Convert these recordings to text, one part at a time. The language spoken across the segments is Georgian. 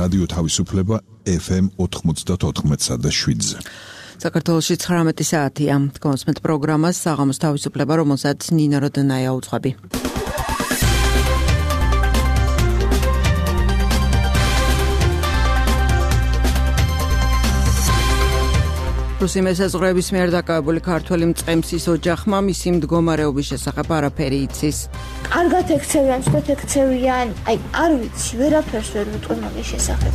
რადიო თავისუფლება FM 94.7-ზე. საქართველოში 19 საათია. გონსმენთ პროგრამას საღამოს თავისუფლება, რომელსაც ნინო როდნაია უძღვები. რუსი მესაზღვრეების მიერ დაკავებული ქართველი მწყემსის ოჯახმა მისი მდგომარეობის შესახებ არაფერი იცის. კარგად ექცევიან, სწორად ექცევიან, არ ვიცი, ვერაფერს ვერ ვიტყვი მაგის შესახებ.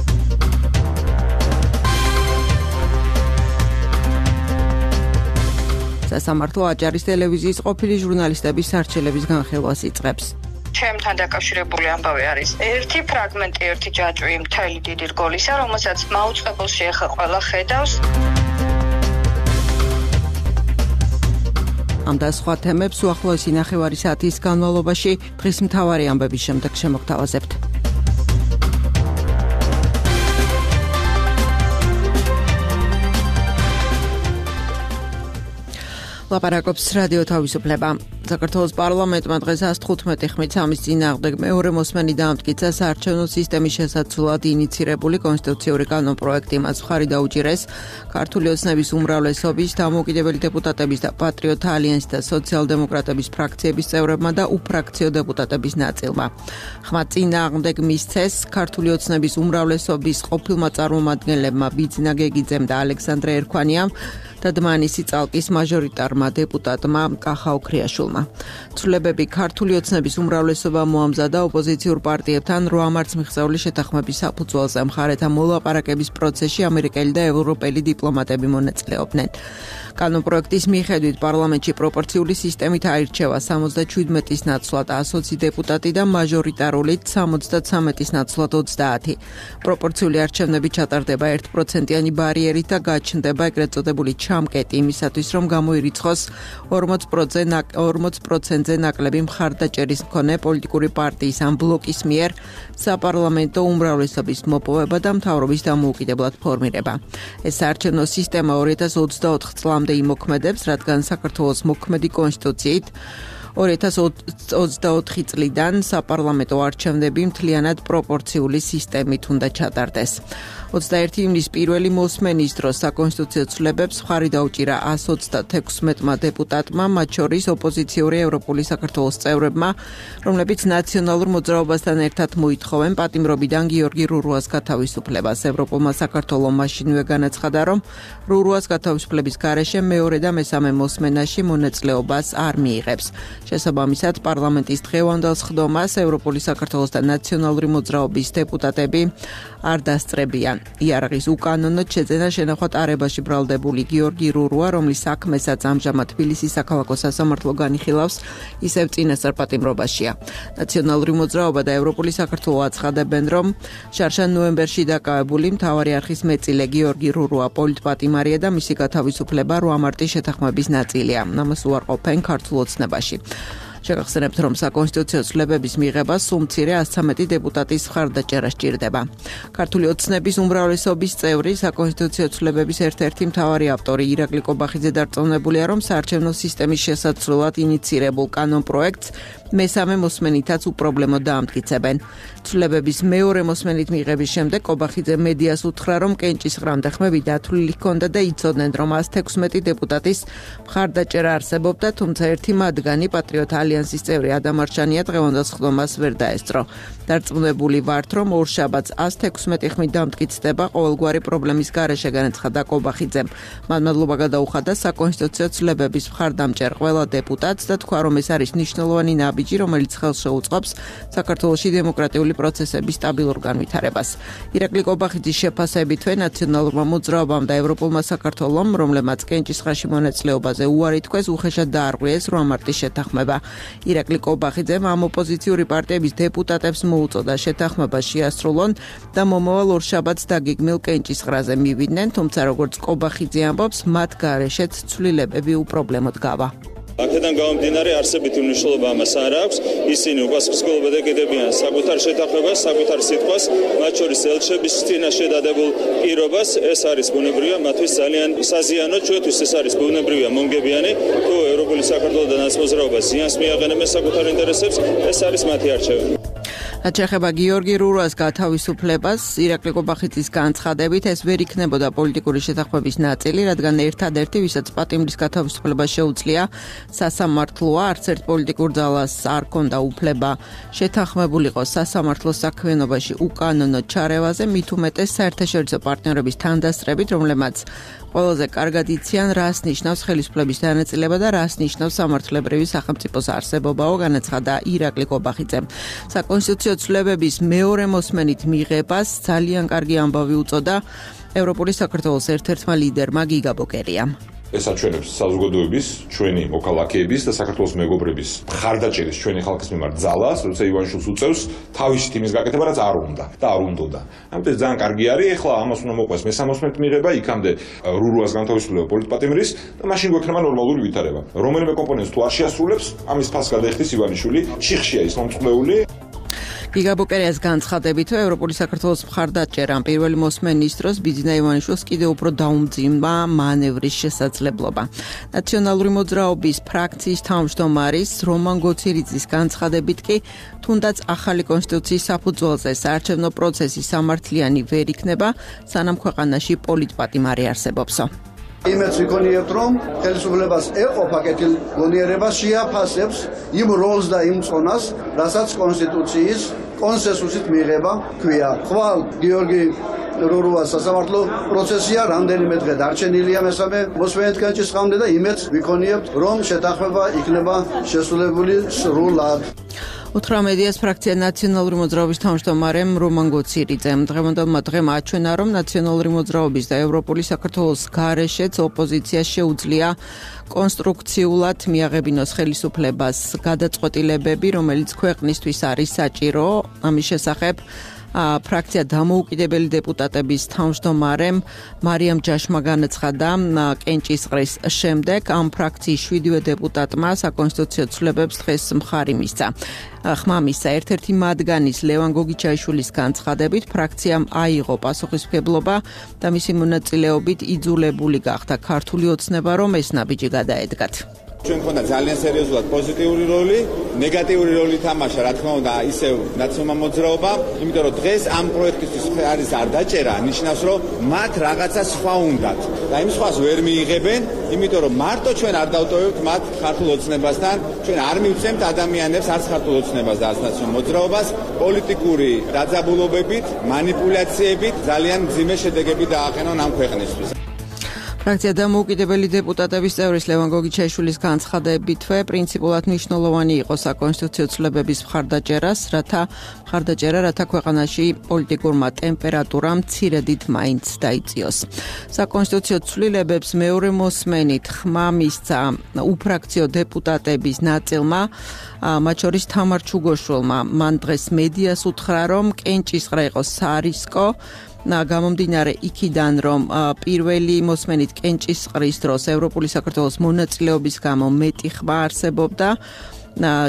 სასამართლო აჭარის ტელევიზიის ყოფილი ჟურნალისტების სარჩელების განხილვას იწყებს. ჩემთან დაკავშირებული ამბავი არის ერთი ფრაგმენტი, ერთი ჯაჭვი მთელი დიდი რგოლისა, რომელსაც მაუწყებელში ახლა ყველა ხედავს. ამ და სხვა თემებს უახლოესი ნახევარი საათის განმავლობაში დღის მთავარი ამბების შემდეგ შემოგთავაზებთ. ლაპარაკობს რადიო თავისუფლება. საქართველოს პარლამენტმა დღეს 115 ხმით სამის წინააღმდეგ მეორე მოსმენი დაამტკიცა საარჩევნო სისტემის შესაცვლად ინიცირებული კონსტიტუციური კანონპროექტი. მას მხარი დაუჭირეს ქართული ოცნების უმრავლესობის, დამოუკიდებელი დეპუტატების და პატრიოტთა ალიანსის და სოციალ-დემოკრატების ფრაქციების წევრებმა და უფრაქციო დეპუტატების ნაწილმა. ხმა წინააღმდეგ მისცეს ქართული ოცნების უმრავლესობის ყოფილმა წარმომადგენლებმა ბიძინა გეგიძემ და ალექსანდრე ერქვანიამ და დმანისი წალკის მაჟორიტარმა დეპუტატმა კახა ოქრიაშვილმა. ცვლილებები ქართული ოცნების უმრავლესობა მოამზადა ოპოზიციურ პარტიებთან 8 მარტს მიღწეული შეთანხმების საფუძველზე. მხარეთა მოლაპარაკების პროცესში ამერიკელი და ევროპელი დიპლომატები მონაწილეობდნენ. კანონპროექტის მიხედვით პარლამენტში პროპორციული სისტემით აირჩევა 77-ის ნაცვლად 120 დეპუტატი და მაჟორიტარულით 73-ის ნაცვლად 30. პროპორციული არჩევნები ჩატარდება 1%-იანი ბარიერით და გაჩნდება ეგრეთ წოდებული ჩამკეტი იმისათვის, რომ გამოირიცხოს 40%-ზე ნაკლები მხარდაჭერის მქონე პოლიტიკური პარტიის ან ბლოკის მიერ საპარლამენტო უმრავლესობის მოპოვება და მთავრობის დამოუკიდებლად ფორმირება. ეს საარჩევნო სისტემა 2024 წლამდე იმოქმედებს, რადგან საქართველოს მოქმედი კონსტიტუციით 2024 წლიდან საპარლამენტო არჩევნები მთლიანად პროპორციული სისტემით უნდა ჩატარდეს. 21 ივნისის პირველი მოსმენის დროს საკონსტიტუციო ცვლილებებს მხარი დაუჭირა 136 დეპუტატმა, მათ შორის ოპოზიციური ევროპული საქართველოს წევრებმა, რომლებიც ნაციონალურ მოძრაობასთან ერთად მოითხოვენ პატიმრობიდან გიორგი რურუას გათავისუფლებას. ევროპულმა საქართველომ მაშინვე განაცხადა, რომ რურუას გათავისუფლების გარეშე მეორე და მესამე მოსმენაში მონაწილეობას არ მიიღებს. შესაბამისად, პარლამენტის დღევანდელ სხდომას ევროპული საქართველოს და ნაციონალური მოძრაობის დეპუტატები არ დასწრებიან. იარაღის უკანონოდ შეძენა შენახვა არებაში ბრალდებული გიორგი რურუა, რომლის საქმესაც ამჟამად თბილისის საქალაქო სასამართლო განიხილავს, ისევ წინასწარ პატიმრობაშია. ნაციონალური მოძრაობა და ევროპული საქართველო აცხადებენ, რომ შარშან ნოემბერში დაკავებული მთავარი არხის მეწილე გიორგი რურუა პოლიტპატიმარია და მისი გათავისუფლება 8 მარტის შეთანხმების ნაწილია. ამას უარყოფენ ქართულ ოცნებაში. შეგახსენებთ, რომ საკონსტიტუციო ცვლილებების მიღებას სულ მცირე 113 დეპუტატის მხარდაჭერა სჭირდება. ქართული ოცნების უმრავლესობის წევრი საკონსტიტუციო ცვლილებების ერთ-ერთი მთავარი ავტორი ირაკლი კობახიძე დარწმუნებულია, რომ საარჩევნო სისტემის შესაცვლად ინიცირებულ კანონპროექტს მესამე მოსმენითაც უპრობლემოდ დაამტკიცებენ. ცვლილებების მეორე მოსმენით მიღების შემდეგ კობახიძე მედიას უთხრა, რომ კენჭისყრამდე ხმები დათვლილი ჰქონდა და იცოდნენ, რომ 116 დეპუტატის მხარდაჭერა არსებობდა, თუმცა ერთი მათგანი პატრიოტთა ალიანსის წევრი ადამ არჩანია დღევანდელ სხდომას ვერ დაესწრო. დარწმუნებული ვართ, რომ ორშაბათს 116 ხმით დამტკიცდება ყოველგვარი პრობლემის გარეშე, განაცხადა კობახიძემ. მან მადლობა გადაუხადა საკონსტიტუციო ცვლილებების მხარდამჭერ ყველა დეპუტატს და თქვა, რომ ეს არის მნიშვნელოვანი ნაბიჯი, რომელიც ხელს შეუწყობს საქართველოში დემოკრატიული პროცესების სტაბილურ განვითარებას. ირაკლი კობახიძის შეფასებითვე ნაციონალურმა მოძრაობამ და ევროპულმა საქართველომ, რომლებმაც კენჭისყრაში მონაწილეობაზე უარი თქვეს, უხეშად დაარღვიეს 8 მარტის შეთანხმება. ირაკლი კობახიძემ ამ ოპოზიციური პარტიების დეპუტატებს მოუწოდა შეთანხმება შეასრულონ და მომავალ ორშაბათს დაგეგმილ კენჭისყრაზე მივიდნენ, თუმცა როგორც კობახიძე ამბობს, მათ გარეშეც ცვლილებები უპრობლემოდ გავა. აქედან გამომდინარე არსებითი მნიშვნელობა ამას არ აქვს. ისინი უპასუხისმგებლობა ეკიდებიან საკუთარ შეთანხმებას, საკუთარ სიტყვას, მათ შორის ელჩების წინაშე დადებულ პირობას. ეს არის ბუნებრივია, მათთვის ძალიან საზიანო, ჩვენთვის ეს არის ბუნებრივია, მომგებიანი. თუ ევროპული საქართველოს და ნაცმოძრაობა ზიანს მიაყენებენ საკუთარ ინტერესებს, ეს არის მათი არჩევანი. რაც შეეხება გიორგი რურას გათავისუფლებას, ირაკლი ყობახიძის განცხადებით, ეს ვერ იქნებოდა პოლიტიკური შეთანხმების ნაწილი, რადგან ერთადერთი, ვისაც პატიმრის გათავისუფლება შეუძლია, სასამართლოა, არც ერთ პოლიტიკურ ძალას არ ჰქონდა უფლება შეთანხმებულიყო სასამართლოს საქმიანობაში უკანონო ჩარევაზე, მით უმეტეს საერთაშორისო პარტნიორების თანდასწრებით, რომლებმაც ყველაზე კარგად იციან, რას ნიშნავს ხელისუფლების დანაწილება და რას ნიშნავს სამართლებრივი სახელმწიფოს არსებობაო, განაცხადა ირაკლი ყობახიძემ. საკონსტიტუციო ცვლილებების მეორე მოსმენით მიღებას ძალიან კარგი ამბავი უწოდა ევროპული საქართველოს ერთ-ერთმა ლიდერმა გიგა ბოკერიამ. ეს აჩვენებს საზოგადოების, ჩვენი მოქალაქეების და საქართველოს მეგობრების მხარდაჭერის ჩვენი ხალხის მიმართ ძალას, როცა ივანიშვილს უწევს თავისი თემის გაკეთება, რაც არ უნდა და არ უნდოდა. ამიტომ ძალიან კარგი არის, ეხლა ამას უნდა მოყვეს მესამოსმენით მიღება, იქამდე რურუას განთავისუფლება პოლიტპატიმრის და მაშინ გვექნება ნორმალური ვითარება. რომელიმე კომპონენტს თუ არ შეასრულებს, ამის ფასს გადაიხდის ივანიშვილი, შიხშია ის მომწყვლეული. გიგა ბოკერიას განცხადებით, ევროპული საქართველოს მხარდაჭერამ პირველი მოსმენის დროს ბიძინა ივანიშვილს კიდევ უფრო დაუმძიმვა მანევრის შესაძლებლობა. ნაციონალური მოძრაობის ფრაქციის თავმჯდომარის რომან გოცირიძის განცხადებით კი, თუნდაც ახალი კონსტიტუციის საფუძველზე საარჩევნო პროცესი სამართლიანი ვერ იქნება, სანამ ქვეყანაში პოლიტპატიმარი არსებობსო. იმედს ვიქონიებთ, რომ ხელისუფლებას ეყო პაკეტილ გონიერება შეაფასებს იმ როლს და იმ წონას, რასაც კონსტიტუციის კონსენსუსით მიიღება ქვია. ხვალ გიორგი რურუას სასამართლო პროცესია რამდენიმე დღე დარჩენილია მესამე მოსმენეთგან ჭისყამდე და იმედს ვიქონიებთ, რომ შეთანხმება იქნება შესრულებული სრულად. 18 ფრაქცია ნაციონალური მოძრაობის თავმჯდომარემ რომან გოცირიძემ დღევანდელმა დღემ აჩვენა, რომ ნაციონალური მოძრაობის და ევროპული საქართველოს გარეშეც ოპოზიციას შეუძლია კონსტრუქციულად მიაღებინოს ხელისუფლებას გადაწყვეტილებები, რომელიც ქვეყნისთვის არის საჭირო. ამის შესახებ ფრაქცია დამოუკიდებელი დეპუტატების თავმჯდომარემ მარიამ ჯაშმა განაცხადა კენჭისყრის შემდეგ, ამ ფრაქციის 7 დეპუტატმა საკონსტიტუციო ცვლილებებს დღეს მხარი მისცა. ხმა მისცა ერთ-ერთი მათგანის ლევან გოგიჩაიშვილის განცხადებით, ფრაქციამ აიღო პასუხისმგებლობა და მისი მონაწილეობით იძულებული გახდა ქართული ოცნება, რომ ეს ნაბიჯი გადაედგათ. ჩვენ ქონდა ძალიან სერიოზულად პოზიტიური როლი, ნეგატიური როლი თამაშა, რა თქმა უნდა, ისევ ნაციონალურმა მოძრაობამ, იმიტომ რომ დღეს ამ პროექტისთვის არის არ დაჭერა, ნიშნავს, რომ მათ რაღაცა სხვა უნდათ და იმ სხვას ვერ მიიღებენ, იმიტომ რომ მარტო ჩვენ არ დავტოვებთ მათ ქართულ ოცნებასთან, ჩვენ არ მივცემთ ადამიანებს არც ქართულ ოცნებას და არც ნაციონალურ მოძრაობას პოლიტიკური დაძაბულობებით, манипуляციებით ძალიან მძიმე შედეგები დააყენონ ამ ქვეყნისთვის. ფრაქცია დამოუკიდებელი დეპუტატების წევრის ლევან გოგიჩაიშვილის განცხადებითვე პრინციპულად მნიშვნელოვანი იყო საკონსტიტუციო ცვლილებების მხარდაჭერა, რათა ქვეყანაში პოლიტიკურმა ტემპერატურამ მცირედით მაინც დაიწიოს. საკონსტიტუციო ცვლილებებს მეორე მოსმენით ხმა მისცა უფრაქციო დეპუტატების ნაწილმა, მათ შორის თამარ ჩუგოშვილმა. მან დღეს მედიას უთხრა, რომ კენჭისყრა იყო სარისკო, გამომდინარე იქიდან, რომ პირველი მოსმენით კენჭისყრის დროს ევროპული საქართველოს მონაწილეობის გამო მეტი ხმა არსებობდა,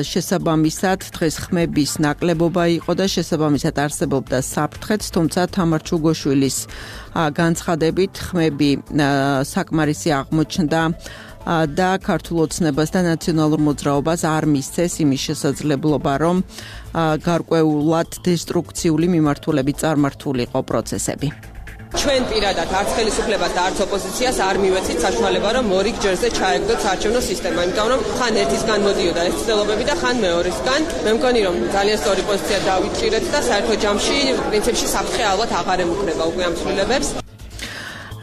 შესაბამისად დღეს ხმების ნაკლებობა იყო და შესაბამისად არსებობდა საფრთხეც, თუმცა თამარ ჩუგოშვილის განცხადებით ხმები საკმარისი აღმოჩნდა და ქართულ ოცნებას და ნაციონალურ მოძრაობას არ მისცეს იმის შესაძლებლობა, რომ გარკვეულად დესტრუქციული მიმართულებით წარმართულიყო პროცესები. ჩვენ პირადად არც ხელისუფლებას და არც ოპოზიციას არ მივეცით საშუალება, რომ ორი ჯერზე ჩაეგდოთ საარჩევნო სისტემა, იმიტომ რომ ხან ერთისგან მოდიოდა ეს ცდილობები და ხან მეორისგან. მე მგონი, რომ ძალიან სწორი პოზიცია დავიჭირეთ და საერთო ჯამში პრინციპში საფრთხე ალბათ აღარ ემუქრება უკვე ამ ცვლილებებს.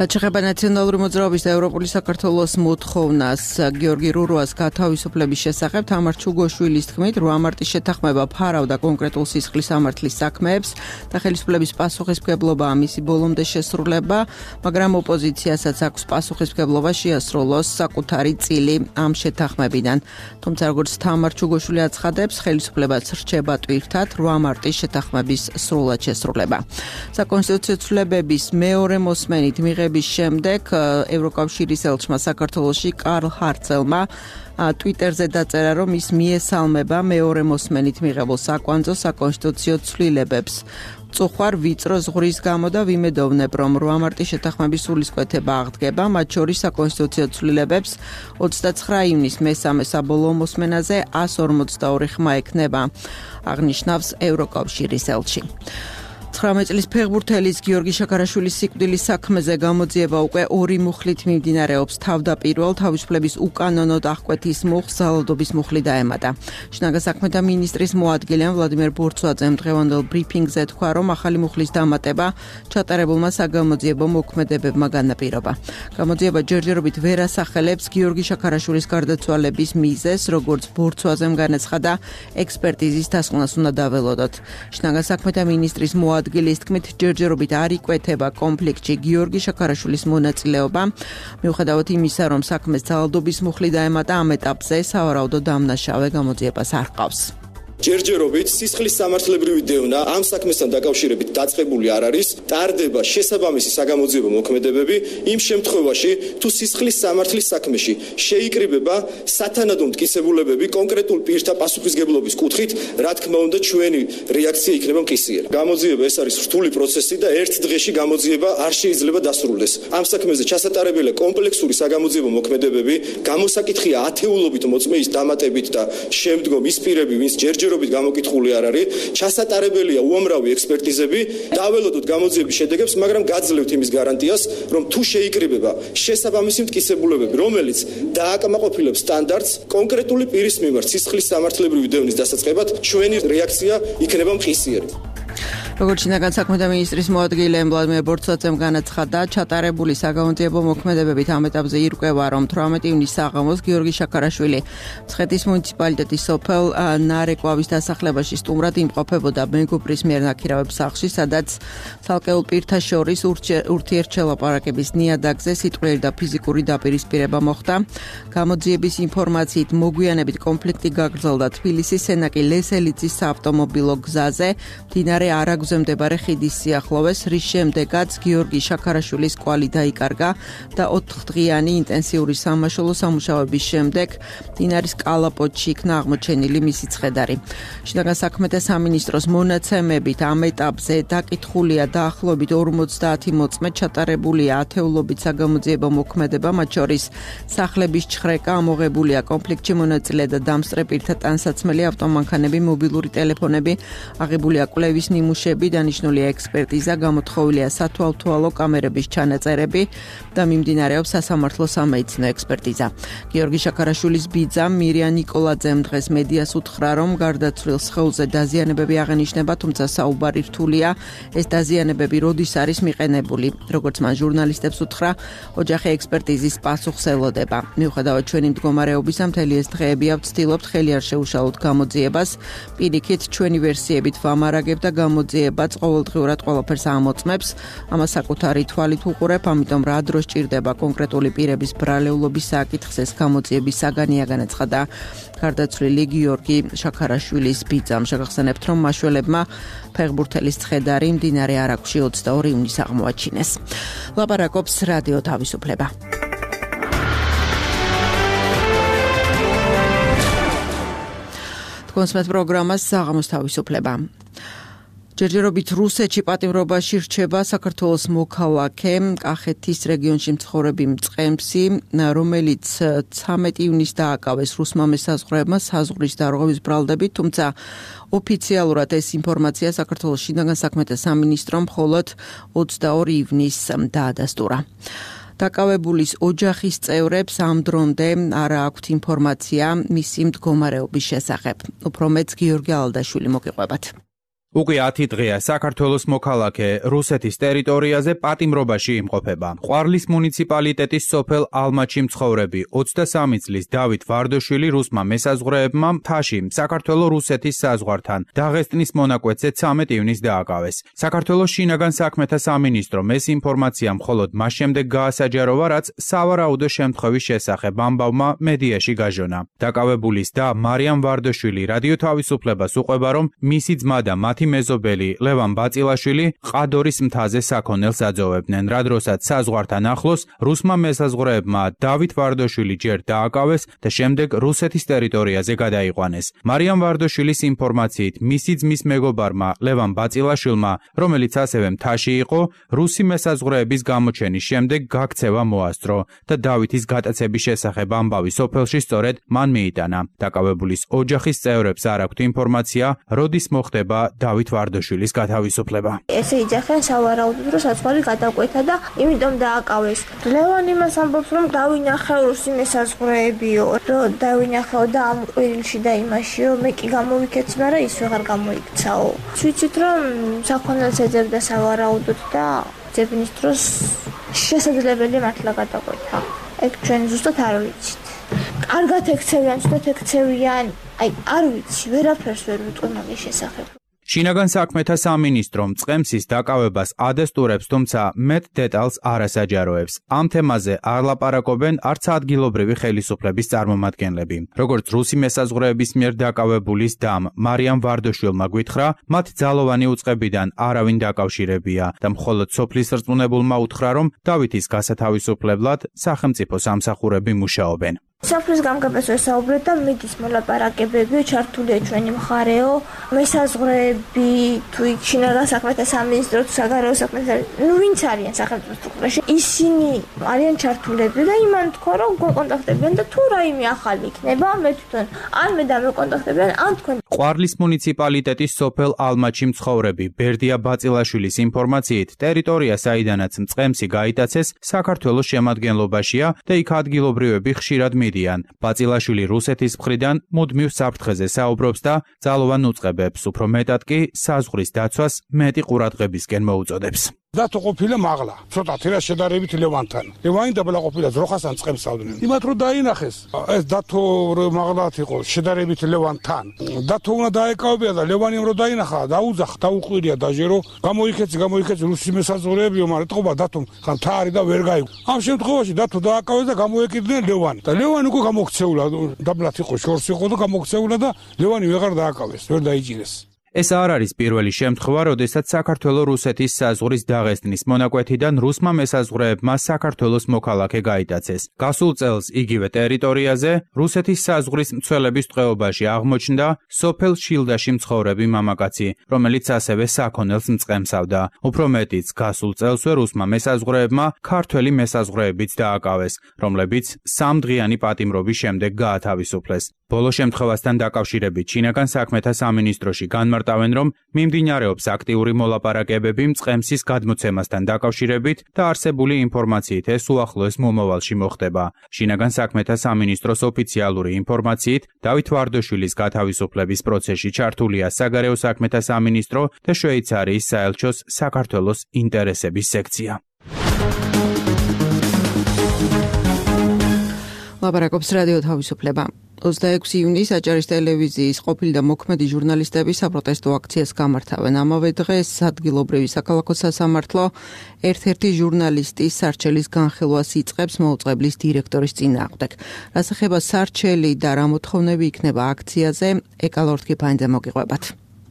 რაც შეეხება ნაციონალური მოძრაობის და ევროპული საქართველოს მოთხოვნას გიორგი რურუას გათავისუფლების შესახებ, თამარ ჩუგოშვილის თქმით, 8 მარტის შეთანხმება ფარავდა კონკრეტულ სისხლის სამართლის საქმეებს და ხელისუფლების პასუხისმგებლობაა მისი ბოლომდე შესრულება, მაგრამ ოპოზიციასაც აქვს პასუხისმგებლობა შეასრულოს საკუთარი წილი ამ შეთანხმებიდან. თუმცა როგორც თამარ ჩუგოშვილი აცხადებს, ხელისუფლებას რჩება ტვირთად 8 მარტის შეთანხმების სრულად შესრულება. საკონსტიტუციო ცვლილებების მეორე მოსმენით შემდეგ ევროკავშირის ელჩმა საქართველოში კარლ ჰარცელმა ტვიტერზე დაწერა, რომ ის მიესალმება მეორე მოსმენით მიღებულ საკვანძო საკონსტიტუციო ცვლილებებს. წუხვარ ვიწრო ზღვრის გამო და ვიმედოვნებ, რომ 8 მარტის შეთანხმების სულისკვეთება აღდგება, მათ შორის საკონსტიტუციო ცვლილებებს 29 ივნისს მესამე საბოლოო მოსმენაზე 142 ხმა ექნება, აღნიშნავს ევროკავშირის ელჩი. 19 წლის ფეხბურთელის გიორგი შაქარაშვილის სიკვდილის საქმეზე გამოძიება უკვე 2 მუხლით მიმდინარეობს. თავდაპირველ თავისუფლების უკანონოდ აღკვეთის მუხლს ძალადობის მუხლი დაემატა. შინაგან საქმეთა მინისტრის მოადგილემ ვლადიმერ ბორცვაძემ დღევანდელ ბრიფინგზე თქვა, რომ ახალი მუხლის დამატება ჩატარებულმა საგამოძიებო მოქმედებებმა განაპირობა. გამოძიება ჯერჯერობით ვერ ასახელებს გიორგი შაქარაშვილის გარდაცვალების მიზეზს, როგორც ბორცვაძემ განაცხადა, ექსპერტიზის დასკვნას უნდა დაველოდოთ. შინაგან საქმეთა მინისტრის ადგილის თქმით ჯერჯერობით არ იკვეთება კონფლიქტში გიორგი შაქარაშვილის მონაწილეობა, მიუხედავად იმისა, რომ საქმეს ძალადობის მუხლი დაემატა, ამ ეტაპზე სავარაუდო დამნაშავე გამოძიებას არ ჰყავს. ჯერჯერობით სისხლის სამართლებრივი დევნა ამ საქმესთან დაკავშირებით დაწყებული არ არის, ტარდება შესაბამისი საგამოძიებო მოქმედებები იმ შემთხვევაში, თუ სისხლის სამართლის საქმეში შეიკრიბება სათანადო მტკიცებულებები კონკრეტულ პირთა პასუხისგებლობის კუთხით, რა თქმა უნდა, ჩვენი რეაქცია იქნება მყისიერი. გამოძიება ეს არის რთული პროცესი და ერთ დღეში გამოძიება არ შეიძლება დასრულდეს. ამ საქმეზე ჩასატარებელია კომპლექსური საგამოძიებო მოქმედებები, გამოსაკითხია ათეულობით მოწმეის დამატებით და შემდგომ ის პირები, ვინც ჯერჯერობით გამოკითხული არ არის, ჩასატარებელია უამრავი ექსპერტიზები, დაველოდოთ გამოძიების შედეგებს, მაგრამ გაძლევთ იმის გარანტიას, რომ თუ შეიკრიბება შესაბამისი მტკიცებულებები, რომელიც დააკმაყოფილებს სტანდარტს კონკრეტული პირის მიმართ სისხლის სამართლებრივი დევნის დასაწყებად, ჩვენი რეაქცია იქნება მყისიერი. როგორც შინაგან საქმეთა მინისტრის მოადგილე ვლადიმერ ბორცვაძემ განაცხადა, ჩატარებული საგამოძიებო მოქმედებებით ამ ეტაპზე ირკვევა, რომ 18 ივნისს საღამოს გიორგი შაქარაშვილი მცხეთის მუნიციპალიტეტის სოფელ ნარეკვავის დასახლებაში სტუმრად იმყოფებოდა მეგობრის მიერ ნაქირავების სახლში, სადაც ცალკეულ პირთა შორის ურთიერთშელაპარაკების ნიადაგზე სიტყვიერი და ფიზიკური დაპირისპირება მოხდა. გამოძიების ინფორმაციით მოგვიანებით კონფლიქტი გაგრძელდა თბილისის სენაკი ლესელიძის საავტომობილო გზაზე, მდინარე არაგ მდებარე ხიდის სიახლოვეს, რის შემდეგაც გიორგი შაქარაშვილის კვალი დაიკარგა და 4 დღიანი ინტენსიური სამაშველო სამუშაოების შემდეგ მდინარის კალაპოტში იქნა აღმოჩენილი მისი ცხედარი. შინაგან საქმეთა სამინისტროს მონაცემებით ამ ეტაპზე დაკითხულია დაახლოებით 50 მოწმე, ჩატარებულია ათეულობით საგამოძიებო მოქმედება, მათ შორის სახლების ჩხრეკა, ამოღებულია კონფლიქტში მონაწილე და დამსწრე პირთა ტანსაცმელი ავტომანქანები, მობილური ტელეფონები, აღებულია კვლევის ნიმუშები, დანიშნულია ექსპერტიზა, გამოთხოვილია სათვალთვალო კამერების ჩანაწერები და მიმდინარეობს სასამართლო სამედიცინო ექსპერტიზა. გიორგი შაქარაშვილის ბიძა მირია ნიკოლაძემ დღეს მედიას უთხრა, რომ გარდაცვლილ სხეულზე დაზიანებები აღენიშნება, თუმცა საუბარი რთულია, ეს დაზიანებები როდის არის მიყენებული. როგორც მან ჟურნალისტებს უთხრა, ოჯახი ექსპერტიზის პასუხს ელოდება. მიუხედავად ჩვენი მდგომარეობისა, მთელი ეს დღეები ვცდილობთ ხელი არ შეუშალოთ გამოძიებას, პირიქით ჩვენი ვერსიებით ვამარაგებ და გამოძიებაც ყოველდღიურად ყველაფერს ამოწმებს. ამას საკუთარი თვალით უყურებ, ამიტომ რა დროს ჭირდება კონკრეტული პირების ბრალეულობის საკითხს, ეს გამოძიების საგანია, განაცხადა გარდაცვლილი გიორგი შაქარაშვილის ბიძამ. შეგახსენებთ, რომ მაშველებმა ფეხბურთელის ცხედარი მდინარე არაგვში 22 ივნისს აღმოაჩინეს. ლაპარაკობს რადიო თავისუფლება. კონსმეთ პროგრამას საღამოს თავისუფლება. ჯერჯერობით რუსეთში პატიმრობაში რჩება საქართველოს მოქალაქე, კახეთის რეგიონში მცხოვრები მწყემსი, რომელიც 13 ივნისს დააკავეს რუსმა მესაზღვრეებმა საზღვრის დარღვევის ბრალდებით, თუმცა ოფიციალურად ეს ინფორმაცია საქართველოს შინაგან საქმეთა სამინისტრომ მხოლოდ 22 ივნისს დაადასტურა. დაკავებულის ოჯახის წევრებს ამ დრომდე არ აქვთ ინფორმაცია მისი მდგომარეობის შესახებ. უფრო მეც გიორგი ალდაშვილი მოგიყვებათ. უკვე 10 დღეა საქართველოს მოქალაქე რუსეთის ტერიტორიაზე პატიმრობაში იმყოფება. ყვარლის მუნიციპალიტეტის სოფელ ალმაჩი მცხოვრები 23 წლის დავით ვარდოშვილი რუსმა მესაზღვრეებმა მთაში საქართველო-რუსეთის საზღვართან დაღესტნის მონაკვეთზე 13 ივნისს დააკავეს. საქართველოს შინაგან საქმეთა სამინისტრომ ეს ინფორმაცია მხოლოდ მას შემდეგ გაასაჯაროვა, რაც სავარაუდო შემთხვევის შესახებ ამბავმა მედიაში გაჟონა. დაკავებულის და მარიამ ვარდოშვილი რადიო თავისუფლებას უყვება, რომ მისი ძმა და მათ მათი მეზობელი ლევან ბაწილაშვილი ყადორის მთაზე საქონელს აძოვებდნენ, რა დროსაც საზღვართან ახლოს რუსმა მესაზღვრეებმა დავით ვარდოშვილი ჯერ დააკავეს და შემდეგ რუსეთის ტერიტორიაზე გადაიყვანეს. მარიამ ვარდოშვილის ინფორმაციით, მისი ძმის მეგობარმა ლევან ბაწილაშვილმა, რომელიც ასევე მთაში იყო, რუსი მესაზღვრეების გამოჩენის შემდეგ გაქცევა მოასწრო და დავითის გატაცების შესახებ ამბავი სოფელში სწორედ მან მიიტანა. დაკავებულის ოჯახის წევრებს არ აქვთ ინფორმაცია, როდის მოხდება დავით ვარდოშვილის გათავისუფლება. ესე იძახენ სავარაუდოდ, რომ საზღვარი გადაკვეთა და იმიტომ დააკავეს. ლევან იმას ამბობს, რომ დავინახე რუსი მესაზღვრეებიო, რომ დავინახეო და ამ ყვირილში და იმაშიო, მე კი გამოვიქეცი, მაგრამ ის ვეღარ გამოიქცაო. ვიცით, რომ საქონელს ეძებდა სავარაუდოდ და ძებნის დროს შესაძლებელი მართლა გადაკვეთა. ეგ ჩვენ ზუსტად არ ვიცით. კარგად ექცევიან, ცუდად ექცევიან, არ ვიცი, ვერაფერს ვერ ვიტყვი მაგის შესახებ. შინაგან საქმეთა სამინისტრომ წყემსის დაკავებას ადესტურებს, თუმცა მეტ დეტალს არ ასაჯაროებს. ამ თემაზე არ ლაპარაკობენ არც ადგილობრივი ხელისუფლების წარმომადგენლები. როგორც რუსი მესაზღვრეების მიერ დაკავებულის დამ მარიამ ვარდოშვილმა გვითხრა, მათ ძალოვანი უწყებიდან არავინ დაკავშირებია და მხოლოდ სოფლის რწმუნებულმა უთხრა, რომ დავითის გასათავისუფლებლად სახელმწიფო სამსახურები მუშაობენ. სოფლის გამგებას ვესაუბრეთ და მიდის მოლაპარაკებები, ჩართულია ჩვენი მხარეო, მესაზღვრეები, თუ იქ შინაგან საქმეთა სამინისტრო, თუ საგარეო საქმეთა, ვინც არიან სახელმწიფო სტრუქტურაში, ისინი არიან ჩართულები და იმან თქვა, რომ კონტაქტებიან და თუ რაიმე ახალი იქნება, მე თვითონ ან მე დამეკონტაქტებიან, ან თქვენ. ყვარლის მუნიციპალიტეტის სოფელ ალმაჩი მცხოვრები ბერდია ბაწილაშვილის ინფორმაციით, ტერიტორია, საიდანაც წყემსი გაიტაცეს, საქართველოს შემადგენლობაშია და იქ ადგილობრივები ხშირად მიდიან. ბაწილაშვილი რუსეთის მხრიდან მუდმივ საფრთხეზე საუბრობს და ძალოვან უწყებებს, უფრო მეტად კი საზღვრის დაცვას მეტი ყურადღებისკენ მოუწოდებს. დათო ყოფილა მაღლა, ცოტათი რა შედარებით ლევანთან. ლევანი დაბლა ყოფილა ძროხასთან წყემსავდნენ. იმათ რომ დაინახეს, ეს დათო მაღლათ იყო შედარებით ლევანთან. დათო უნდა დაეკავებია და ლევანი რომ დაინახა, დაუძახ, დაუყვირია დაჟე რომ გამოიქეცი რუსი მესაზღვრეებიო, მაგრამ ეთყობა დათომ ხან თარი და ვერ გაიგო. ამ შემთხვევაში დათო დააკავეს და გამოეკიდნენ ლევანი. და ლევანი უკვე გამოქცეულა, დაბლათ იყო, შორს იყო და გამოქცეულა და ლევანი ვეღარ დააკავეს, ვერ დაიჭირეს. ეს არ არის პირველი შემთხვევა, როდესაც საქართველო-რუსეთის საზღვრის დაღესტნის მონაკვეთიდან რუსმა მესაზღვრეებმა საქართველოს მოქალაქე გაიტაცეს. გასულ წელს იგივე ტერიტორიაზე რუსეთის საზღვრის მცველების ტყვეობაში აღმოჩნდა სოფელ შილდაში მცხოვრები მამაკაცი, რომელიც ასევე საქონელს მწყემსავდა. უფრო მეტიც, გასულ წელსვე რუსმა მესაზღვრეებმა ქართველი მესაზღვრეებიც დააკავეს, რომლებიც 3 დღიანი პატიმრობის შემდეგ გაათავისუფლეს. ბოლო შემთხვევასთან დაკავშირებით შინაგან საქმეთა სამინისტროში განმარტავენ, რომ მიმდინარეობს აქტიური მოლაპარაკებები წყემსის გადმოცემასთან დაკავშირებით და არსებული ინფორმაციით ეს უახლოეს მომავალში მოხდება. შინაგან საქმეთა სამინისტროს ოფიციალური ინფორმაციით, დავით ვარდოშვილის გათავისუფლების პროცესში ჩართულია საგარეო საქმეთა სამინისტრო და შვეიცარიის საელჩოს საქართველოს ინტერესების სექცია. ლაპარაკობს რადიო თავისუფლება. 26 იუნის აჭარის ტელევიზიის ყოფილი და მოქმედი ჟურნალისტები საპროტესტო აქციას გამართავენ. ამავე დღეს ადგილობრივი საქალაქო სასამართლო ერთ-ერთი ჟურნალისტის სარჩელის განხილვას იწყებს მოუწყებლის დირექტორის წინააღმდეგ. რას ეხება სარჩელი და რა მოთხოვნები იქნება აქციაზე, ეკალორთკიფანიძე მოგიყვებათ.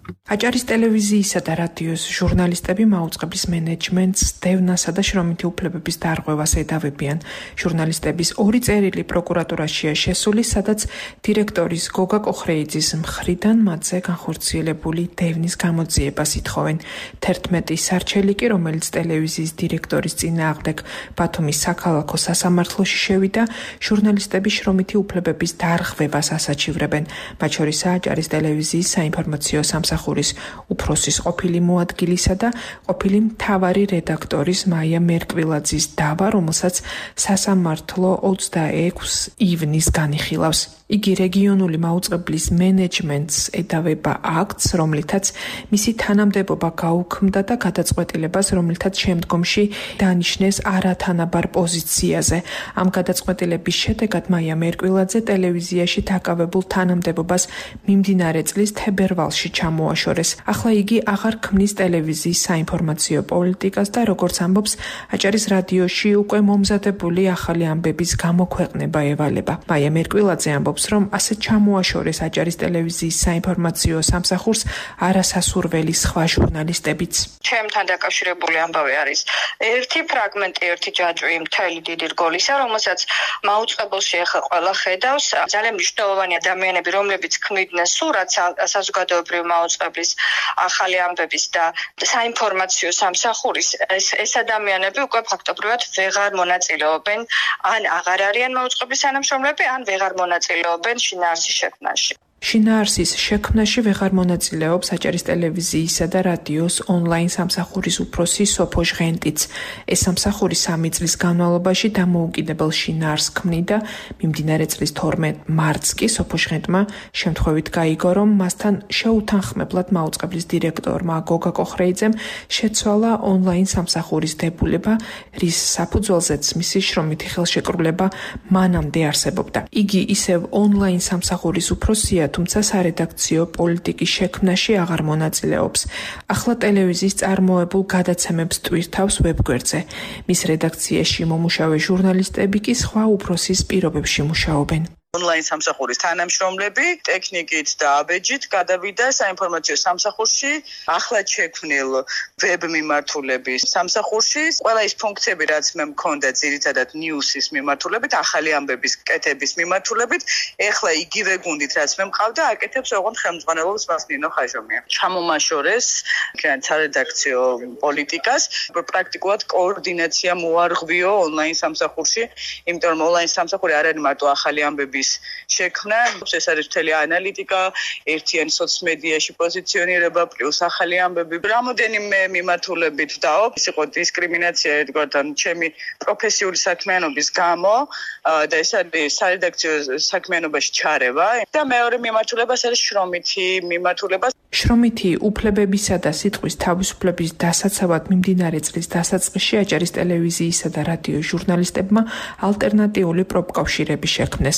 აჭარის ტელევიზიისა და რადიოს ჟურნალისტები მაუწყებლის მენეჯმენტს დევნასა და შრომითი უფლებების დარღვევას ედავებიან. ჟურნალისტების 2 წერილი პროკურატურაშია შესული, სადაც დირექტორის გოგა კოხრეიძის მხრიდან მათზე განხორციელებული დევნის გამოძიებას ითხოვენ. 11 სარჩელი კი, რომელიც ტელევიზიის დირექტორის წინააღმდეგ ბათუმის საქალაქო სასამართლოში შევიდა, ჟურნალისტების შრომითი უფლებების დარღვევას ასაჩივრებენ. მათ შორისაა აჭარის ტელევიზიის საინფორმაციო სამსახურის უფროსის ყოფილი მოადგილისა და ყოფილი მთავარი რედაქტორის მაია მერკვილაძის დავა, რომელსაც სასამართლო 26 ივნის განიხილავს. იგი რეგიონული მაუწყებლის მენეჯმენტს ედავება აქტს, რომლითაც მისი თანამდებობა გაუქმდა და გადაწყვეტილებას, რომლითაც შემდგომში დანიშნეს არათანაბარ პოზიციაზე. ამ გადაწყვეტილების შედეგად მაია მერკვილაძე ტელევიზიაში დაკავებულ თანამდებობას მიმდინარე წლის თებერვალში ჩამოაშორეს. ახლა იგი აღარ ქმნის ტელევიზიის საინფორმაციო პოლიტიკას და როგორც ამბობს, აჭარის რადიოში უკვე მომზადებული ახალი ამბების გამოქვეყნება ევალება. მაია მერკვილაძე ამბობს, ამბობს, რომ ასე ჩამოაშორეს აჭარის ტელევიზიის საინფორმაციო სამსახურს არასასურველი სხვა ჟურნალისტებიც. ჩემთან დაკავშირებული ამბავი არის ერთი ფრაგმენტი, ერთი ჯაჭვი მთელი დიდი რგოლისა, რომელსაც მაუწყებელში ახლა ყველა ხედავს. ძალიან მნიშვნელოვანი ადამიანები, რომლებიც ქმნიდნენ სურათს საზოგადოებრივი მაუწყებლის ახალი ამბების და საინფორმაციო სამსახურის, ეს ადამიანები უკვე ფაქტობრივად ვეღარ მონაწილეობენ, ან აღარ არიან მაუწყებლის თანამშრომლები, ან ვეღარ მონაწილეობენ შინაარსის შექმნაში. შინაარსის შექმნაში ვეღარ მონაწილეობს აჭარის ტელევიზიისა და რადიოს ონლაინ სამსახურის უფროსი სოფო ჟღენტიც. ეს სამსახური 3 წლის განმავლობაში დამოუკიდებელ შინაარსს ქმნიდა. მიმდინარე წლის 12 მარტს კი სოფო ჟღენტმა შემთხვევით გაიგო, რომ მასთან შეუთანხმებლად მაუწყებლის დირექტორმა გოგა კოხრეიძემ შეცვალა ონლაინ სამსახურის დებულება, რის საფუძველზეც მისი შრომითი ხელშეკრულება მანამდე არსებობდა. იგი ისევ ონლაინ სამსახურის უფროსია, თუმცა სარედაქციო პოლიტიკის შექმნაში აღარ მონაწილეობს. ახლა ტელევიზიის წარმოებულ გადაცემებს ტვირთავს ვებგვერდზე. მის რედაქციაში მომუშავე ჟურნალისტები კი სხვა უფროსის პირობებში მუშაობენ. ონლაინ სამსახურის თანამშრომლები ტექნიკით და აბეჯით გადავიდა საინფორმაციო სამსახურში, ახლად შექმნილ ვებ მიმართულების სამსახურში. ყველა ის ფუნქციები, რაც მე მქონდა ძირითადად ნიუსის მიმართულებით, ახალი ამბების კეთების მიმართულებით, ეხლა იგივე გუნდით, რაც მე მყავდა, აკეთებს ოღონდ ხელმძღვანელობს მას ნინო ხაჟომია. ჩამომაშორეს სარედაქციო პოლიტიკას, პრაქტიკულად კოორდინაცია მოარღვიო ონლაინ სამსახურში, იმიტომ რომ ონლაინ სამსახური არ არის მარტო ახალი ამბები შექმნა, ეს არის მთელი ანალიტიკა, ერთიანი სოციმედიაში პოზიციონირება, პლუს ახალი ამბები. რამოდენიმე მიმართულებით დავობ, ის იყო დისკრიმინაცია ერთგვართან ჩემი პროფესიული საქმიანობის გამო და ეს არის სარედაქციო საქმიანობაში ჩარევა და მეორე მიმართულება არის შრომითი მიმართულება. შრომითი უფლებებისა და სიტყვის თავისუფლების დასაცავად მიმდინარე წლის დასაწყისში აჭარის ტელევიზიისა და რადიოს ჟურნალისტებმა ალტერნატიული პროფკავშირები შექმნეს.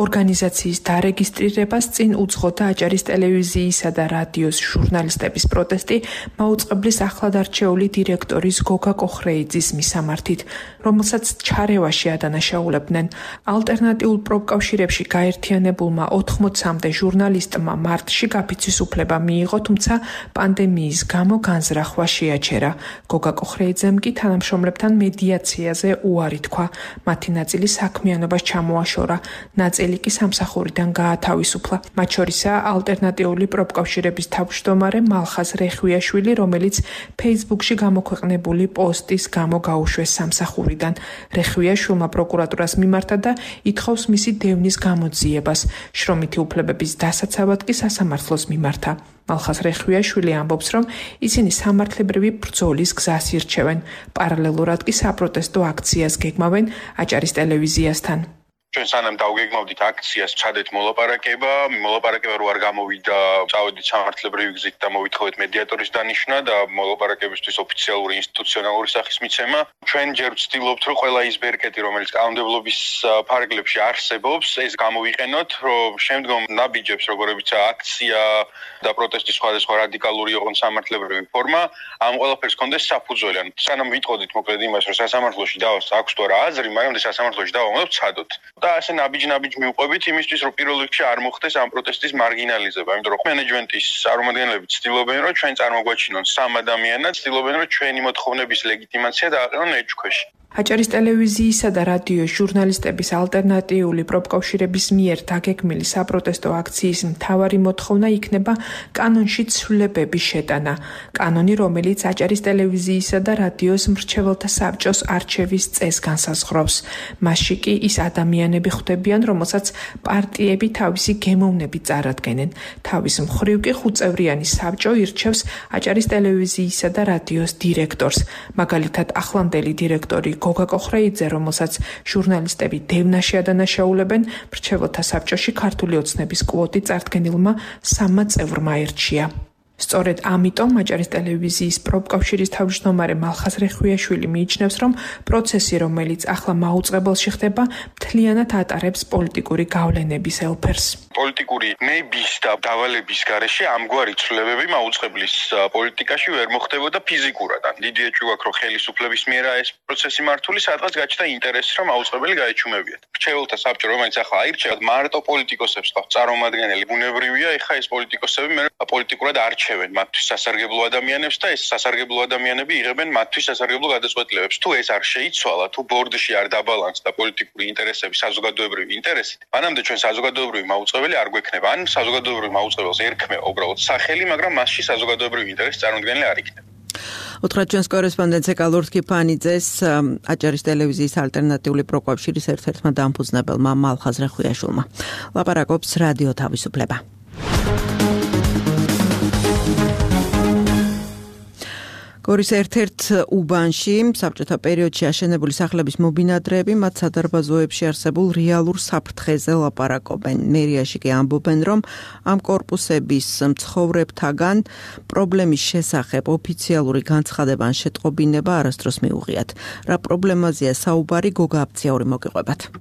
ორგანიზაციის დარეგისტრირებას წინ უძღოდა აჭარის ტელევიზიისა და რადიოს ჟურნალისტების პროტესტი მაუწყებლის ახლად არჩეული დირექტორის გოგა კოხრეიძის მისამართით, რომელსაც ჩარევაში ადანაშაულებდნენ. ალტერნატიულ პროფკავშირებში გაერთიანებულმა 80-მდე ჟურნალისტმა მარტში გაფიცვის უფლება მიიღო, თუმცა პანდემიის გამო განზრახვა შეაჩერა. გოგა კოხრეიძემ კი თანამშრომლებთან მედიაციაზე უარი თქვა. მათი ნაწილი საქმიანობას ჩამოაშორა. ნაწილი კი სამსახურიდან გაათავისუფლა. მათ შორისაა ალტერნატიული პროფკავშირების თავმჯდომარე მალხაზ რეხვიაშვილი, რომელიც ფეისბუქში გამოქვეყნებული პოსტის გამო გაუშვეს სამსახურიდან. რეხვიაშვილმა პროკურატურას მიმართა და ითხოვს მისი დევნის გამოძიებას. შრომითი უფლებების დასაცავად კი სასამართლოს მიმართა. მალხაზ რეხვიაშვილი ამბობს, რომ ისინი სამართლებრივი ბრძოლის გზას ირჩევენ. პარალელურად კი საპროტესტო აქციას გეგმავენ აჭარის ტელევიზიასთან. ჩვენ სანამ დავგეგმავდით აქციას, ჩადეთ მოლაპარაკება რო არ გამოვიდა, წავედით სამართლებრივი გზით და მოვითხოვეთ მედიატორის დანიშვნა და მოლაპარაკებისთვის ოფიციალური ინსტიტუციონალური სახის მიცემა. ჩვენ ჯერ ვცდილობთ, რომ ყველა ის ბერკეტი, რომელიც კანონმდებლობის ფარგლებში არსებობს, ეს გამოვიყენოთ, რომ შემდგომ ნაბიჯებს, როგორებიცაა აქცია და პროტესტის სხვადასხვა რადიკალური ოღონდ სამართლებრივი ფორმა, ამ ყველაფერს კონდეს საფუძველი. სანამ ვიტყოდით მოკლედ იმას, რომ სასამართლოში აქვს თუ არა აზრი, მაგრამ სასამართლოში დავამოვნებთ ცადოთ. და ასე ნაბიჯ მივყვებით იმისთვის, რომ პირველ რიგში არ მოხდეს ამ პროტესტის მარგინალიზება, იმიტომ რომ მენეჯმენტის წარმომადგენლები ცდილობენ, რომ ჩვენ წარმოგვაჩინონ სამ ადამიანად, ცდილობენ, რომ ჩვენი მოთხოვნების ლეგიტიმაცია დააყენონ ეჭქვეში. აჭარის ტელევიზიისა და რადიოს ჟურნალისტების ალტერნატიული პროფკავშირების მიერ დაგეგმილი საპროტესტო აქციის მთავარი მოთხოვნა იქნება კანონში ცვლილებების შეტანა. კანონი, რომელიც აჭარის ტელევიზიისა და რადიოს მრჩეველთა საბჭოს არჩევის წესს განსაზღვრავს. მასში კი ის ადამიანები ხვდებიან, რომელსაც პარტიები თავისი გემოვნებით წარადგენენ. თავის მხრივ კი 5-წევრიანი საბჭო ირჩევს აჭარის ტელევიზიისა და რადიოს დირექტორს. მაგალითად, ახლანდელი დირექტორი გოგა კოხრეიძე, რომელსაც ჟურნალისტები დევნაში ადანაშაულებენ, მრჩეველთა საბჭოში ქართული ოცნების კვოტი წარდგენილმა 3 წევრმა ერჩია. სწორედ ამიტომ მაჭარის ტელევიზიის პროფკავშირის თავმჯდომარე მალხაზ რეხვიაშვილი მიიჩნევს, რომ პროცესი, რომელიც ახლა მაუწყებელში ხდება, მთლიანად ატარებს პოლიტიკური გავლენების ელფერს. პოლიტიკური ნების და დავალების გარეშე ამგვარი ცვლილებები მაუწყებლის პოლიტიკაში ვერ მოხდებოდა ფიზიკურად. დიდი ეჭვი გვაქვს, რომ ხელისუფლების მიერაა ეს პროცესი მართული, სადღაც გაჩნდა ინტერესი, რომ მაუწყებელი გაეჩუმებიათ. რჩეულთა საბჭო, რომელიც ახლა აირჩევათ, მარტო პოლიტიკოსებს ყავს წარმომადგენელი. ბუნებრივია, ეხა ეს პოლიტიკოსები მე პოლიტიკურად არჩევენ მათთვის სასარგებლო ადამიანებს და ეს სასარგებლო ადამიანები იღებენ მათთვის სასარგებლო გადაწყვეტილებებს. თუ ეს არ შეიცვალა, თუ ბორდში არ დაბალანსდა პოლიტიკური ინტერესები საზოგადოებრივი ინტერესით, მანამდე ჩვენ საზოგადოებრივი მაუწყებელი არ გვექნება. ან საზოგადოებრივ მაუწყებელს ერქმება უბრალოდ სახელი, მაგრამ მასში საზოგადოებრივი ინტერესი წარმოქმნილი არ იქნება. უთხრა ჩვენს კორესპონდენტზე კალურთ კიფანიძეს, აჭარის ტელევიზიის ალტერნატიული პროკავშირის ერთ-ერთმა დამფუძნებელმა მალხაზ რეხვიაშვილმა. ლაპარაკობს რადიო თავისუფლება. გორის ერთ-ერთ უბანში საბჭოთა პერიოდში აშენებული სახლების მობინადრეები მათ სადარბაზოებში არსებულ რეალურ საფრთხეზე ლაპარაკობენ. მერიაში კი ამბობენ, რომ ამ კორპუსების მცხოვრებთაგან პრობლემის შესახებ ოფიციალური განცხადება ან შეტყობინება არასდროს მიუღიათ. რა პრობლემაზეა საუბარი, გოგა აფციაური მოგიყვებათ.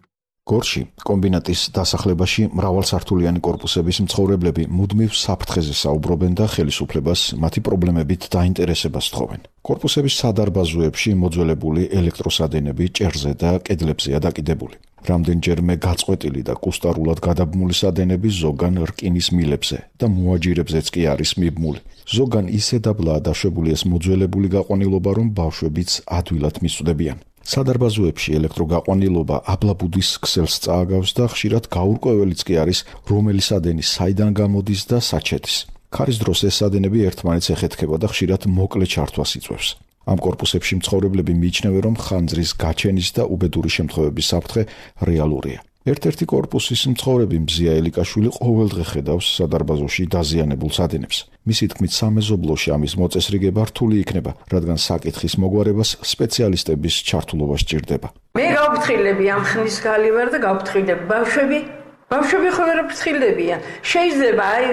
გორში კომბინატის დასახლებაში მრავალსართულიანი კორპუსების მცხოვრებლები მუდმივ საფრთხეზე საუბრობენ და ხელისუფლებას მათი პრობლემებით დაინტერესებას თხოვენ. კორპუსების სადარბაზოებში მოძველებული ელექტროსადენები ჭერზე და კედლებზეა დაკიდებული. რამდენჯერმე გაწყვეტილი და კუსტარულად გადაბმული სადენები ზოგან რკინის მილებზე და მოაჯირებზეც კი არის მიბმული. ზოგან ისე დაბლაა დაშვებული ეს მოძველებული გაყვანილობა, რომ ბავშვებიც ადვილად მისვდებიან. სადარბაზოებში ელექტროგაყვანილობა აბლაბუდის ქსელს წააგავს და ხშირად გაურკვეველიც კი არის, რომელი სადენი საიდან გამოდის და საჩეთის. ქარის დროს ეს სადენები ერთმანეთს ეხეთქება და ხშირად მოკლე ჩართვას იწვევს. ამ კორპუსებში მცხოვრებლები მიიჩნევენ, რომ ხანძრის გაჩენის და უბედური შემთხვევების საფრთხე რეალურია. ერთ-ერთი კორპუსის მცხოვრები მზია ელიკაშვილი ყოველდღე ხედავს სადარბაზოში დაზიანებულ სადენებს. მისი თქმით, სამეზობლოში ამის მოწესრიგება რთული იქნება, რადგან საკითხის მოგვარებას სპეციალისტების ჩართულობა სჭირდება. მე გავფრთხილები ამ ხნის გალი ვარ და გავფრთხილები ბავშვები ხო ვერ ფრთხილდებიან. შეიძლება აი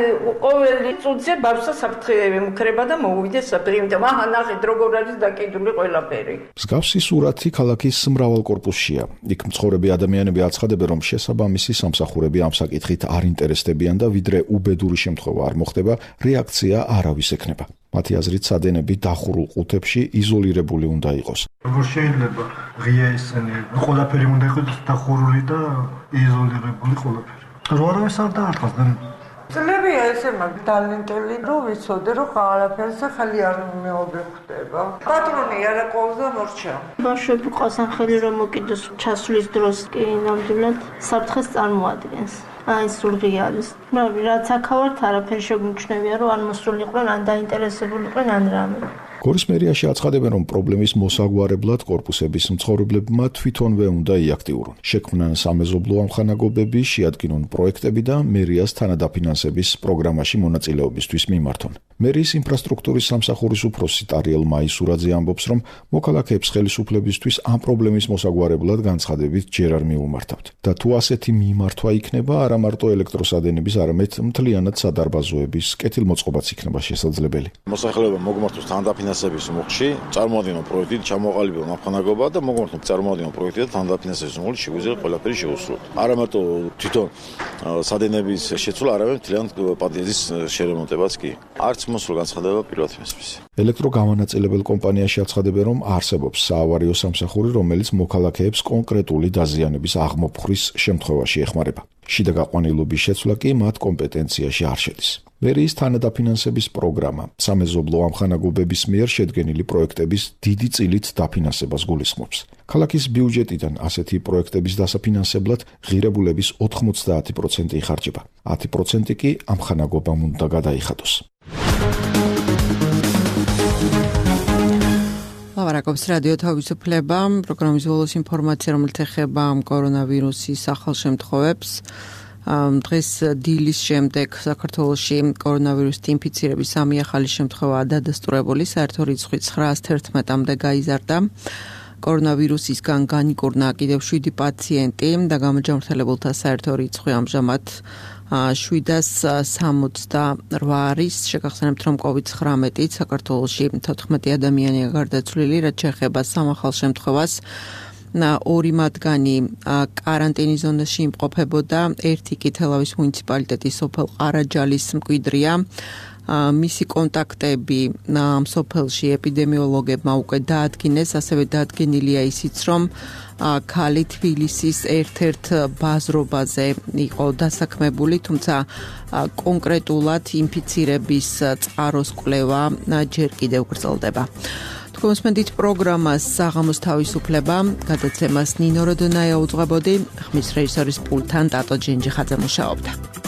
ყოველი წუთზე ბავშვს საფრთხე მქრება და მოუვიდეს საფრთხე, იმიტომ აჰა ნახეთ როგორ არის დაკიდული ყველაფერი. მსგავსი სურათი ქალაქის მრავალ კორპუსშია. იქ მცხოვრები ადამიანები აცხადებენ, რომ შესაბამისი სამსახურები ამ საკითხით არ ინტერესდებიან და ვიდრე უბედური შემთხვევა არ მოხდება, რეაქცია არავის ექნება. მათი აზრით, სადენები დახურულ ყუთებში იზოლირებული უნდა იყოს. როგორ შეიძლება ღია ესენი ყველაფერი უნდა იყოს დახურული და იზოლირებული ყველაფერი. რო არავის არ დაარტყას და ძლებია ესე მაგ ტალენტელი რომ ვიცოდე რომ ყველაფერზე ხელი არ მეუბნდება. პატრონი არა ყოლზე მორჩა. ბავშვები ყავსან ხელი რომ მოკიდოს ჩასვლის დროს კი ნამდვილად საფრთხეს წარმოადგენს. აი სულღია არის. რაც აქავართ არაფერი შეგვიმჩნევია რომ ან მოსულიყვნენ, ან დაინტერესებულიყვნენ, ან რამე. გორის მერიაში აცხადებენ, რომ პრობლემის მოსაგვარებლად კორპუსების მცხოვრებლებმა თვითონვე უნდა იაქტიურონ. შექმნან სამეზობლო ამხანაგობები, შეადგინონ პროექტები და მერიას თანადაფინანსების პროგრამაში მონაწილეობისთვის მიმართონ. მერიის ინფრასტრუქტურის სამსახურის უფროსი ტარიელ მაისურაძე ამბობს, რომ მოქალაქეებს ხელისუფლებისთვის ამ პრობლემის მოსაგვარებლად განცხადებით ჯერ არ მიუმართავთ. და თუ ასეთი მიმართვა იქნება, არა მარტო ელექტროსადენების, არამედ მთლიანად სადარბაზოების კეთილმოწყობაც იქნება შესაძლებელი. მოსახლეობა მოგმართოს თანადაფინანსების მოხში, წარმოადგინონ პროექტი, ჩამოყალიბებონ ამხანაგობა და მოგმართონ წარმოადგინონ პროექტი და თანადაფინანსების მოხში შეგვიძლია ყველაფერი შეუსრულოთ. არა მარტო თვითონ სადენების შეცვლა, არამედ მთლიანად პადიეზის შერემონტებაც კი. არც მოსულ განცხადება პირველად მისმის. ელექტროგამანაწილებელ კომპანიაში აცხადებენ, რომ არსებობს საავარიო სამსახური, რომელიც მოქალაქეებს კონკრეტული დაზიანების აღმოფხვრის შემთხვევაში ეხმარება. შიდა გაყვანილობის შეცვლა კი მათ კომპეტენციაში არ შედის. მერიის თანადაფინანსების პროგრამა სამეზობლო ამხანაგობების მიერ შედგენილი პროექტების დიდი წილით დაფინანსებას გულისხმობს. ქალაქის ბიუჯეტიდან ასეთი პროექტების დასაფინანსებლად ღირებულების 90% იხარჯება. 10% კი ამხანაგობამ უნდა გადაიხადოს. ლაპარაკობს რადიო თავისუფლება, პროგრამის ბოლოს ინფორმაცია, რომელიც ეხება კორონავირუსის ახალშემთხვევებს. დღეს დილის შემდეგ საქართველოში კორონავირუსით ინფიცირების 3 ახალი შემთხვევაა დადასტურებული, საერთო რიცხვი 911-მდე გაიზარდა. კორონავირუსისგან განიკურნა კიდევ 7 პაციენტი და გამოჯანმრთელებულთა საერთო რიცხვი ამჟამად 768 არის. შეგახსენებთ, რომ COVID-19 საქართველოში 14 ადამიანია გარდაცვლილი, რაც შეეხება სამახალ შემთხვევას. 2 მათგანი კარანტინის ზონაში იმყოფებოდა, ერთი კი თელავის მუნიციპალიტეტის სოფელ ყარაჯალის მკვიდრია. მისი კონტაქტები სოფელში ეპიდემიოლოგებმა უკვე დაადგინეს, ასევე დაადგენილია ისიც, რომ ქალი თბილისის ერთ-ერთ ბაზრობაზე იყო დასაქმებული, თუმცა კონკრეტულად ინფიცირების წყაროს კვლევა ჯერ კიდევ გრძელდება. გასმენდით პროგრამას საღამოს თავისუფლება, გადაცემას ნინო როდონაია უძღვებოდი, ხმის რეჟისორის პულტთან ტატო ჯენჯიხაძე მუშაობდა.